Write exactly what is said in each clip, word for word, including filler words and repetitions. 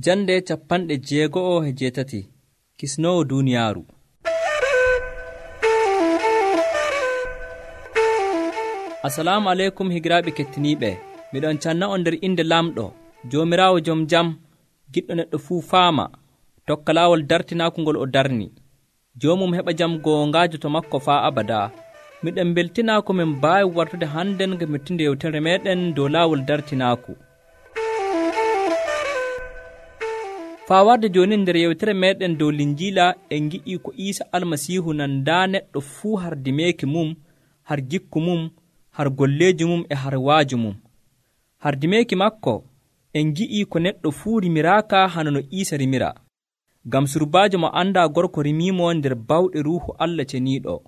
Jande capanɗe jeego'o e jeetati kisnoowo duuniyaaru. Assalamu aleykum higiraaɓe kettiniiɓe. Miɗon canna on nder inde lamɗo Joomiraawo jom jam, giɗɗo neɗɗo fuu faama tokka laawol dartinaaku ngol o darni. Joomum heɓa jam goongaajo to makko faa abadaa. Miɗen mbeltinaa ko min mbaawi wartude hannden ngam mettinde yewtere meeɗen dow laawol dartinaaku. Faa warde jooni nder yewtere meeɗen dow Linjiila en ngi'ii ko Iisa Almasiihu nandaa neɗɗo fuu har dimeeki mum, har jikku mum, har golleeji mum e har waaju mum. Har dimeeki makko en ngi'ii ko neɗɗo fuu rimiraaka hano no Iisa rimira. Ngam surbaajo mo anndaa gorko rimiimo nder bawɗe Ruuhu Allah ceniiɗo.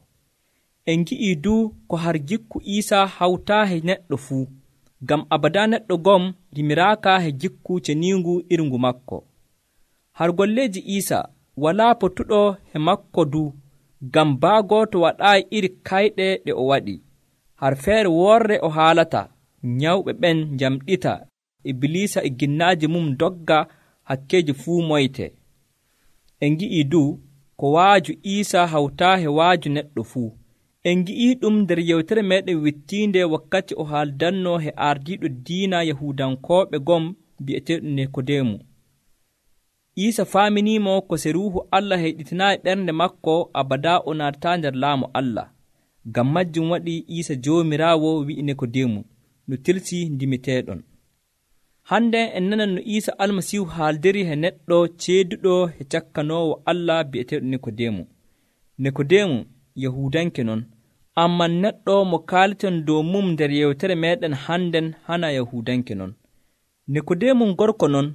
En ngi'ii duu ko har jikku Iisa hawtaa he neɗɗo fuu, ngam abadaa neɗɗo gom rimiraaka he jikku ceniingu irngu makko. Har golleeji Iisa walaa potuɗo he makko du, ngam baa gooto waɗaayi iri kayɗe ɗe o waɗi. Har feere worre o haalata, nyawɓe ɓen njamɗita, Ibilisa e ginnaaji mum dogga, hakkeeji fuu moyte. En ngi'ii du ko waaju Iisa hawtaa he waaju neɗɗo fuu. En ngi'ii ɗum nder yewtere meeɗen wittiinde wakkati o haaldannoo he ardiiɗo diina Yahuudankooɓe gom bi'eteeɗo Nikodeemu. Iisa faaminiimo ko se Ruuhu Allah heyɗitinaayi ɓernde makko abadaa o naatataa nder laamu Allah. Ngam majjum waɗi Iisa Joomiraawo wi'i Nikodeemu no tilsii ndimiteeɗon. Hande en nanan no Iisa Almasiihu haaldiri he neɗɗo ceeduɗo he cakkanoowo Allah bi'eteeɗo Nikodeemu. Nikodeemu Yahuudanke non, amman neɗɗo mo kaaleten dow mum nder yewtere meeɗen hannden hana Yahuudanke non. Nikodeemu gorko non,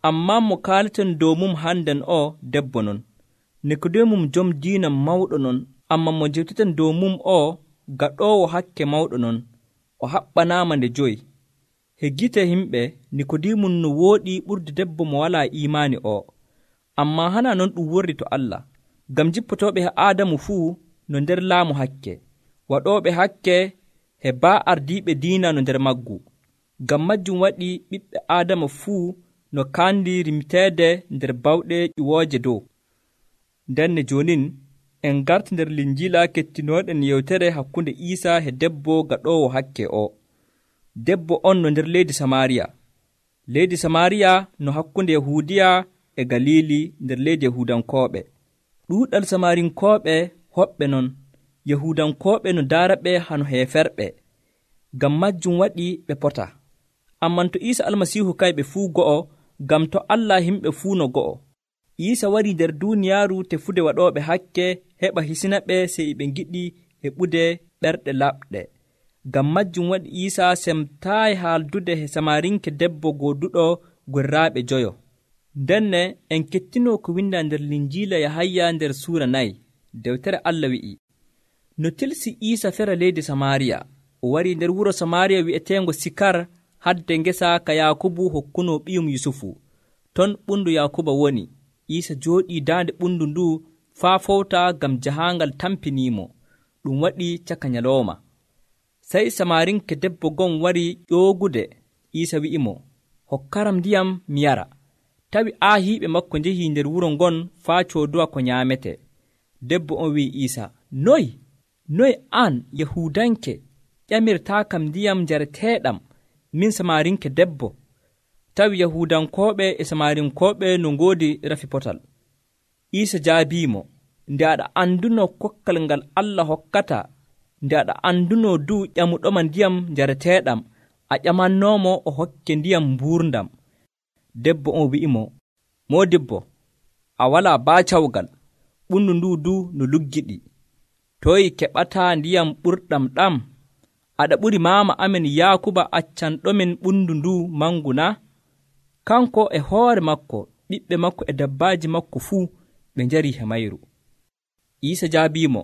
ammaa mo kaaleten dow mum hannden o debbo non. Nikodeemu jom diina mawɗo non, amma mo jewteten dow mum o gaɗoowo hakke mawɗo non, o haɓɓanaama nde joyi. He gite himɓe Nikodeemu no wooɗi ɓurde debbo mo walaa iimaani o, ammaa hana non ɗum worri to Allah, ngam jippotooɓe he Aadamu fuu no nder laamu hakke, waɗooɓe hakke he baa ardiiɓe diina no nder maggu. Ngam majjum waɗi ɓiɓɓe Aadama fuu no kaandi rimiteede nder bawɗe ƴiwooje dow. Ndenne joonin en garti nder Linjiila kettinooɗen yewtere hakkunde Iisa he debbo gaɗoowo hakke o. Debbo on no nder leydi Samaariya. Leydi Samaariya no hakkunde Yahuudiya e Galiili nder leydi Yahuudankooɓe. Ɗuuɗal Samarinkooɓe hoɓɓe non, Yahuudankooɓe no daaraɓe hano heeferɓe. Ngam majjum waɗi ɓe pota. Amman to Iisa Almasiihu kayɓe fuu go'o, ngam to Allah himɓe fuu no go'o. Iisa warii nder duuniyaaru tefude waɗooɓe hakke heɓa hisinaɓe sey ɓe ngiɗi heɓude ɓerɗe laɓɗe. Ngam majjum waɗi Iisa semtaayi haaldude he Samarinke debbo gooduɗo gorraaɓe joyo. Ndenne en kettinoo ko windaa nder Linjiila Yahaya nder suura nayi. Dewtere Allah wi'i, no tilsi Iisa fera leydi Samaariya, o warii nder wuro Samaariya wi'eteengo Sikar, hadde ngesa ka Yaakubu hokkunoo ɓiyum Yusufu. Ton ɓundu Yaakuba woni. Iisa jooɗii daande ɓundu ndu faa fowta ngam jahaangal tampiniimo. Ɗum waɗi caka nyalooma. Sey Samarinke debbo gon wari ƴoogude. Iisa wi'imo, hokkaram ndiyam mi yara. Tawi aahiiɓe makko njehii nder wuro ngon faa cooduwa ko nyaamete. Debbo on wi'i Iisa, noy noy an Yahuudanke ƴamirtaakam ndiyam njareteeɗam, min Samarinke debbo? Tawi Yahuudankooɓe e Samarinkooɓe no ngoodi rafi potal. Iisa jaabiimo, nde aɗa annduno kokkal ngal Allah hokkata, nde aɗa annduno du ƴamuɗoma ndiyam njareteeɗam, a ƴamannoomo o hokke ndiyam mbuurndam. Debbo on wi'imo, moodibbo, a walaa baacawgal, ɓundu ndu du no luggiɗi. Toyi keɓataa ndiyam ɓurɗam ɗam? Aɗa ɓuri maama amen Yaakuba accanɗomin ɓundu ndu mangu na? Kanko e hoore makko, ɓiɓɓe makko e dabbaaji makko fuu ɓe njarii he mayru. Iisa jaabiimo,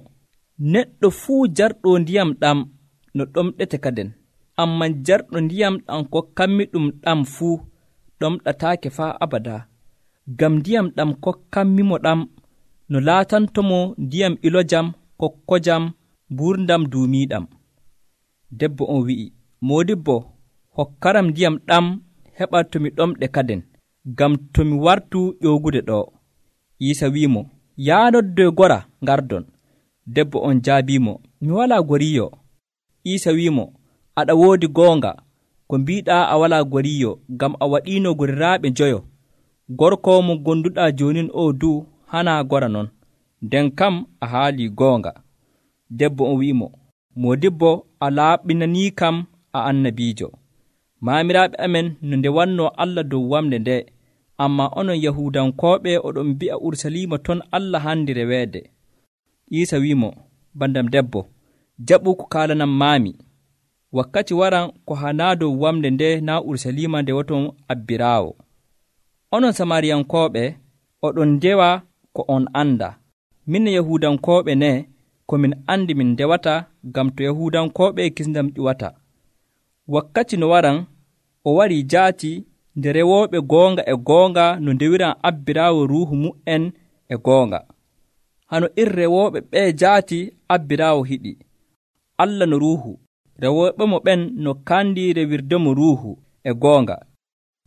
neɗɗo fuu jarɗo ndiyam ɗam no ɗomɗete kaden, amman jarɗo ndiyam ɗam kokkanmi ɗum ɗam fuu ɗomɗataake faa abadaa. Ngam ndiyam ɗam kokkanmimo ɗam no laatantomo ndiyam ilojam, kokkojam, mbuurndam duumiiɗam. Debbo on wi'i, moodibbo, hokkaram ndiyam ɗam heɓa to mi ɗomɗe kaden, ngam to mi wartu ƴoogude ɗo. Iisa wi'imo, yaa noddoy gora ngardon. Debbo on jaabiimo, mi walaa goriyo. Iisa wi'imo, aɗa woodi goonga ko mbiiɗaa a walaa goriyo, ngam a waɗiino goriraaɓe joyo. Gorko mo gonduɗaa joonin o du hanaa gora non, nden kam a haalii goonga. Debbo on wi'imo, moodibbo a laaɓinanii kam a annabiijo. Maamiraaɓe amen no nde wannoo Allah dow wamde nde, ammaa onon Yahuudankooɓe oɗon mbi'a Urusalima ton Allah handi reweede. Iisa wi'imo, bandam debbo, jaɓu ko kaalanam maami. Wakkati waran ko hanaa dow wamde nde naa Urusalima nde woton abbiraawo. Onon Samariyankooɓe oɗon ndewa ko on anda. Min Yahuudankooɓe ne ko min andi min ndewata, ngam to Yahuudankooɓe kisndam ƴuwata. Wakkati no waran o warii jaati nde rewooɓe goonga e goonga no ndewiran abbiraawo ruuhu mu'en e goonga. Hano ir rewooɓe ɓee jaati abbiraawo hiɗi. Allah no ruuhu, rewooɓe mo ɓen no kandi rewirdemo ruuhu e goonga.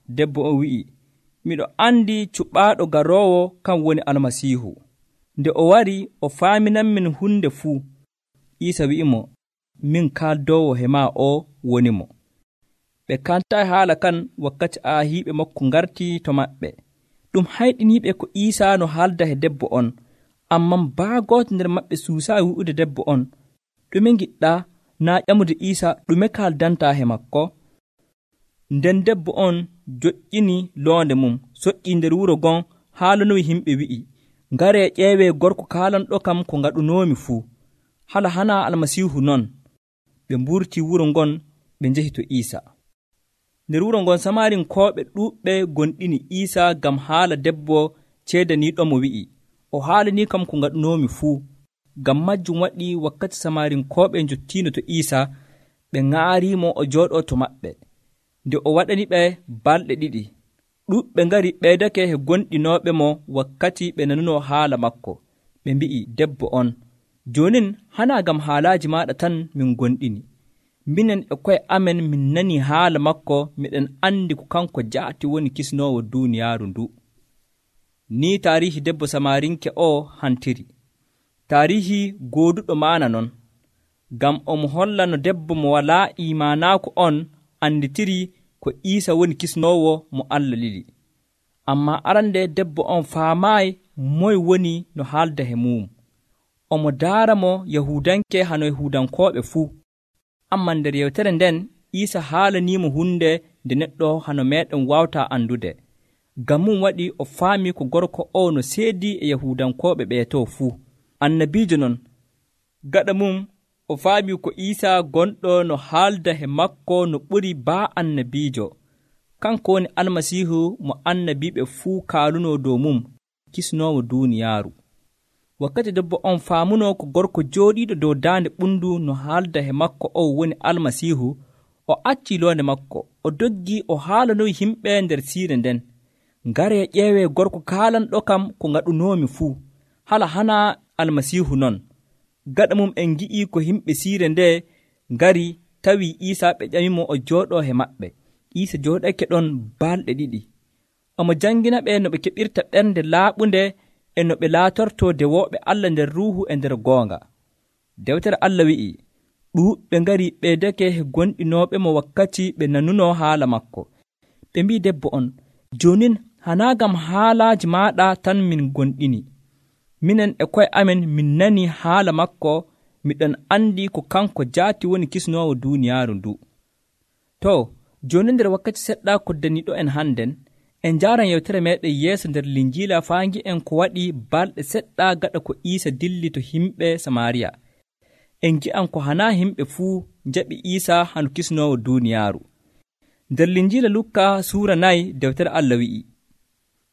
Debbo o wi'i, miɗo andi cuɓaaɗo garoowo kan woni Almasiihu. Nde o wari o faaminanmin hunde fuu. Iisa wi'imo, min kaaldoowo he maa o woni mo. Ɓe kantayi haala kan wakkati aahiiɓe makko ngartii to maɓɓe. Ɗum hayɗiniiɓe ko Iisa no haalda he debbo on, amman baa gooto nder maɓɓe suusaayi wi'ude debbo on, ɗume ngiɗɗaa naa ƴamude Iisa ɗume kaaldantaa he makko? Nden debbo on joƴƴini loonde mum, soƴƴii nder wuro gon, haalanoyi himɓe wi'i, ngaree ƴeewee gorko kaalanɗo kam ko ngaɗunoomi fuu. Hala hanaa Almasiihu non. Ɓe mburtii wuro ngon, ɓe njehi to Iisa. Nder wuro ngon Samarinkooɓe ɗuuɓɓe gonɗini Iisa ngam haala debbo ceedaniiɗomo wi'i, o haalanii kam ko ngaɗunoomi fuu. Ngam majjum waɗi wakkati Samarinkooɓe njottiino to Iisa, ɓe ŋaariimo o jooɗoo to maɓɓe. Nde o waɗani ɓe balɗe ɗiɗi, ɗuuɓɓe ngari ɓeydake he gonɗinooɓe mo wakkati ɓe nanunoo haala makko. Ɓe mbi'i debbo on, joonin hanaa ngam haalaaji maaɗa tan min gonɗini. Minen e koye amen min nanii haala makko, miɗen anndi ko kanko jaati woni kisnoowo duuniyaaru ndu. Nii taarihi debbo Samarinke o hantiri. Taarihi gooduɗo maana non, ngam omo holla no debbo mo walaa iimaanaaku on anditiri ko Iisa woni kisnoowo mo Allah lili. Ammaa arande debbo on faamaayi moye woni no haalda he mum. Omo daara mo Yahuudanke hano Yahuudankooɓe fuu. Ammaa nder yewtere nden Iisa haalaniimo hunde nde neɗɗo hano meeɗen waawtaa andude. Ngam mum waɗi o faami ko gorko o no seedii e Yahuudankooɓe ɓee to fuu. Annabiijo non, gaɗa mum o faami ko Iisa gonɗo no haalda he makko no ɓuri baa annabiijo. Kanko woni Almasiihu mo annabiiɓe fuu kaalunoo dow mum, kisnoowo duuniyaaru. Wakkati debbo on faamunoo ko gorko jooɗiiɗo dow daande ɓundu no haalda he makko o woni Almasiihu, o accii loonde makko, o doggii o haalanoyi himɓe nder siire nden, ngaree ƴeewee gorko kaalanɗo kam ko ngaɗunoomi fuu. Hala hanaa Almasiihu non. Gaɗa mum en ngi'ii ko yimɓe siire nde ngari tawii Iisa, ɓe ƴamimo o jooɗoo he maɓɓe. Iisa jooɗake ɗon balɗe ɗiɗi. Omo jangina ɓe no ɓe keɓirta ɓernde laaɓunde e no ɓe laatortoo dewooɓe Allah nder ruuhu e nder goonga. Dewtere Allah wi'i, ɗuuɓɓe ngari ɓeydake he gonɗinooɓe mo wakkati ɓe nanunoo haala makko. Ɓe mbii debbo on, joonin hanaa ngam haalaaji maaɗa tan min gonɗini. Minen e koye amen min nanii haala makko, miɗon anndi ko kanko jaati woni kisnoowo duuniyaaru ndu. To, jooni nder wakkati seɗɗa koddaniiɗo en hannden, en njaaran yewtere meeɗen yeeso nder Linjiila faa ngi'en ko waɗi balɗe seɗɗa gaɗa ko Iisa dilli to yimɓe Samariya. En ngi'an ko hanaa yimɓe fuu njaɓi Iisa hano kisnoowo duuniyaaru. Nder Linjiila Lukka suura nayi dewtere Allah wi'i,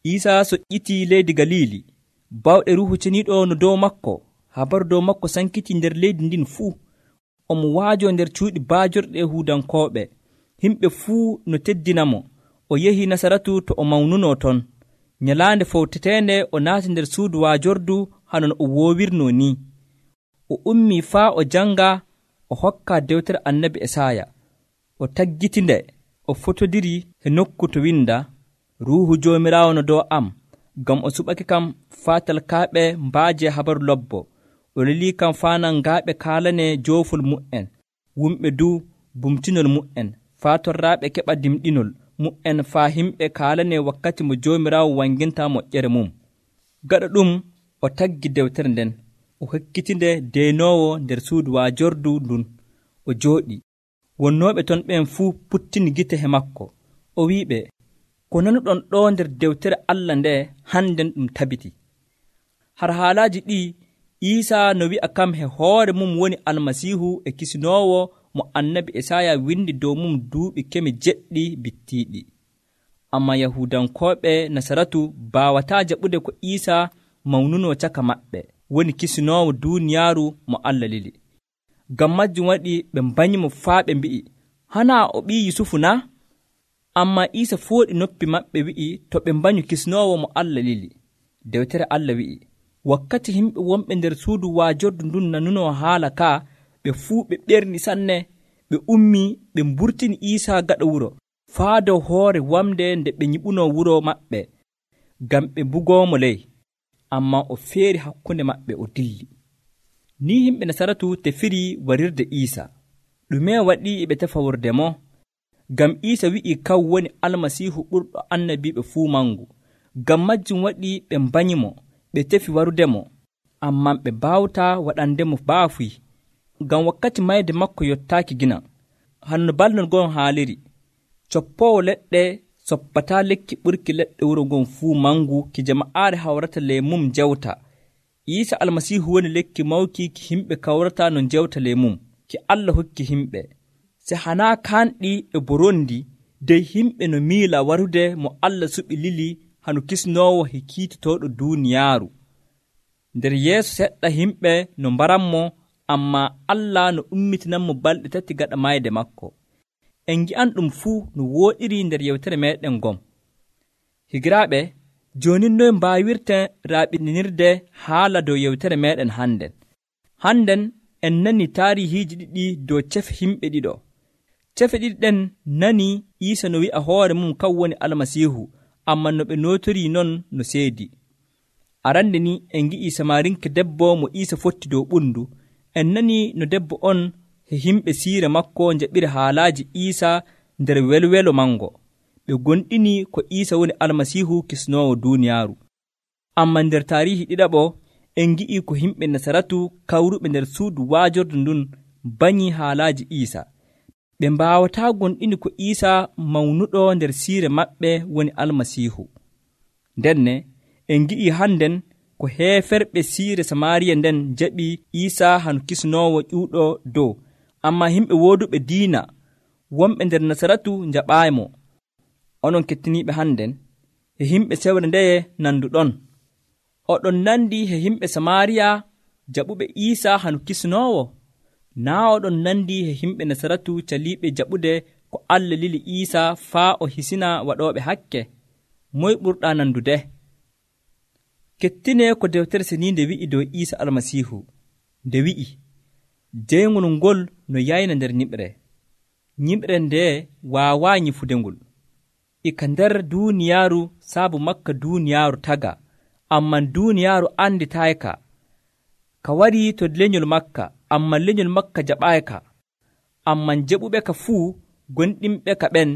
Iisa soƴƴitii leydi Galiili, bawɗe ruuhu ceniiɗo no dow makko, habaru dow makko sankiti nder leydi ndin fuu. Omo waajo nder cuuɗi baajorɗe Yahuudankooɓe, himɓe fuu no teddinamo. O yehi Nasaratu to o mawnunoo ton. Nyalaande fowteteende o naati nder suudu waajordu hano no o woowirnoo ni. O ummii faa o jannga, o hokka dewtere annabi Esaaya. O taggitinde, o fotodiri e nokku to winda, ruuhu joomiraawo no dow am, ngam o suɓake kam faa talkaaɓe mbaaje habaru lobbo. O lelii kam faa nangaaɓe kaalane joofol mu'en, wumɓe du bumtinol mu'en, faa torraaɓe keɓa dimɗinol mu'en, faa himɓe kaalane wakkati mo joomiraawo wanginta moƴƴere mum. Gaɗa ɗum o taggi dewtere nden, o hokkitinde deynoowo nder suudu waajordu ndun, o jooɗi. Wonnooɓe ton ɓen fuu puttini gite he makko. O wi'iɓe, ko nanuɗon ɗo nder dewtere Allah nde hannden ɗum tabiti. Har haalaaji ɗi Iisaa no wi'a kam he hoore mum woni Almasiihu e kisinoowo mo annabi Esaya windi dow mum duuɓi kemi jeɗɗi bittiiɗi. Amma Yahuudankooɓe Nasaratu baawataa jaɓude ko Iisaa mawnunoo caka maɓɓe woni kisinoowo duuniyaaru mo Allah lili. Ngam majjum waɗi ɓe mbanyimo faa ɓe mbi'i, hanaa o ɓii Yusufu na? Amma Iisaa fooɗi noppi maɓɓe wi'i to ɓe mbanyu kisinoowo mo Allah lili. Dewtere Allah wi'i, wakkati himɓe wonɓe nder suudu waajordu ndun nanunoo haala kaa, ɓe fuu ɓe ɓerni sanne, ɓe ummii ɓe mburtini Iisaa gaɗa wuro, faa dow hoore wamde nde ɓe nyiɓunoo wuro maɓɓe, ngam ɓe mbugoomo ley. Ammaa o feeri hakkunde maɓɓe o dilli. Ni himɓe Nasaratu tefiri warirde Iisaa. Ɗume waɗi ɓe tefa wurde mo? Ngam Iisaa wi'ii kaw woni Almasiihu ɓurɗo annabiiɓe fuu mangu. Ngam majjum waɗi ɓe mbanyimo, ɓe tefi warudemo, ammaa ɓe baawtaa waɗandemo baafuy. Ngam wakkati mayde makko yottaaki gina. Hanno balɗe ngon haaliri, coppoowo leɗɗe soppataa lekki ɓurki leɗɗe wuro ngon fuu mangu ki jama'aare hawrata ley mum jewta. Iisaa Almasiihu woni lekki mawki ki himɓe kawrata no jewta ley mum, ki Allah hokki himɓe. Se hanaa kaanɗi e borondi dey himɓe no miila warude mo Allah suɓi lili hano kisnoowo he kiitotooɗo duuniyaaru. Nder yeeso seɗɗa himɓe no mbaranmo, ammaa Allah no ummitinanmo balɗe tati gaɗa mayde makko. En ngi'an ɗum fuu no wooɗiri nder yewtere meeɗen ngom. Higiraaɓe, jooni noye mbaawirten raaɓinirde haala dow yewtere meeɗen hannden. Hannden en nani taarihiiji ɗiɗi dow cefe himɓe ɗiɗo. Cefe ɗiɗi ɗen nani Iisaa no wi'a hoore mum kan woni Almasiihu, ammaa no ɓe nootorii non no seedi. Arande ni en ngi'ii Samaarinke debbo mo Iisaa fotti dow ɓundu. En nani no debbo on he himɓe siire makko njaɓiri haalaaji Iisaa nder welwelo mango. Ɓe gonɗini ko Iisaa woni Almasiihu kisnoowo duuniyaaru. Ammaa nder taarihi ɗiɗaɓo en ngi'ii ko himɓe Nasaratu kawruɓe nder suudu waajordu ndun banyii haalaaji Iisaa. Ɓe mbaawataa gonɗini ko Iisaa mawnuɗo nder siire maɓɓe woni Almasiihu. Ndenne en ngi'ii hannden ko heeferɓe siire Samaariya nden jaɓi Iisaa hano kisnoowo ƴuuɗo dow, ammaa himɓe wooduɓe diina wonɓe nder Nasaratu njaɓaaymo. Onon kettiniiɓe hannden, he himɓe sewre ndeye nanduɗon? Oɗon nandi he himɓe Samaariya jaɓuɓe Iisaa hano kisnoowo? Naa oɗon nandi he himɓe Nasaratu caliiɓe jaɓude ko Allah lili Iisaa faa o hisina waɗooɓe hakke? Moy ɓurɗaa nandude? Kettine ko dewtere seniinde wi'i dow Iisaa Almasiihu, nde wi'i, deyngol ngol no yayna nder ñiɓre. Ñiɓre nde waawaa nyifude ngol. Ika nder duuniyaaru saabu makka duuniyaaru taga, amman duuniyaaru anditaayka. Ka warii to lenyol makka, amman lenyol makka jaɓaayka. Amman jaɓuɓe ka fuu gonɗinɓe ka ɓen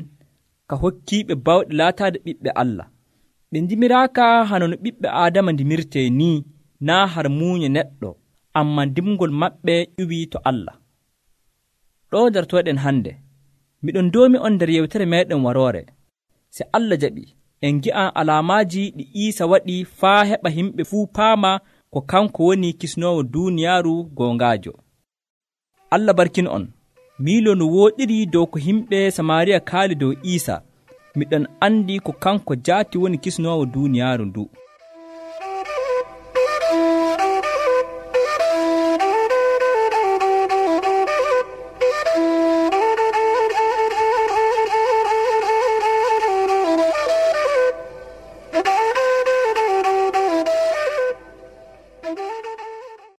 ka hokkiiɓe bawɗe laataade ɓiɓɓe Allah. Ɓe ndimiraaka hano no ɓiɓɓe Aadama ndimirtee ni, naa har muuñe neɗɗo, amman dimgol maɓɓe ƴuwii to Allah. Ɗo dartoɗen hannde, miɗon doomi on nder yewtere meeɗen waroore. Se Allah jaɓi, en ngi'an alaamaaji ɗi Iisaa waɗi faa heɓa himɓe fuu paama ko kanko woni kisnoowo duuniyaaru goongaajo. Allah barkin on, miilo no wooɗiri dow ko himɓe Samaariya kaali dow Iisaa. Miɗon andi ko kanko jaati woni kisnoowo duuniyaaru ndu.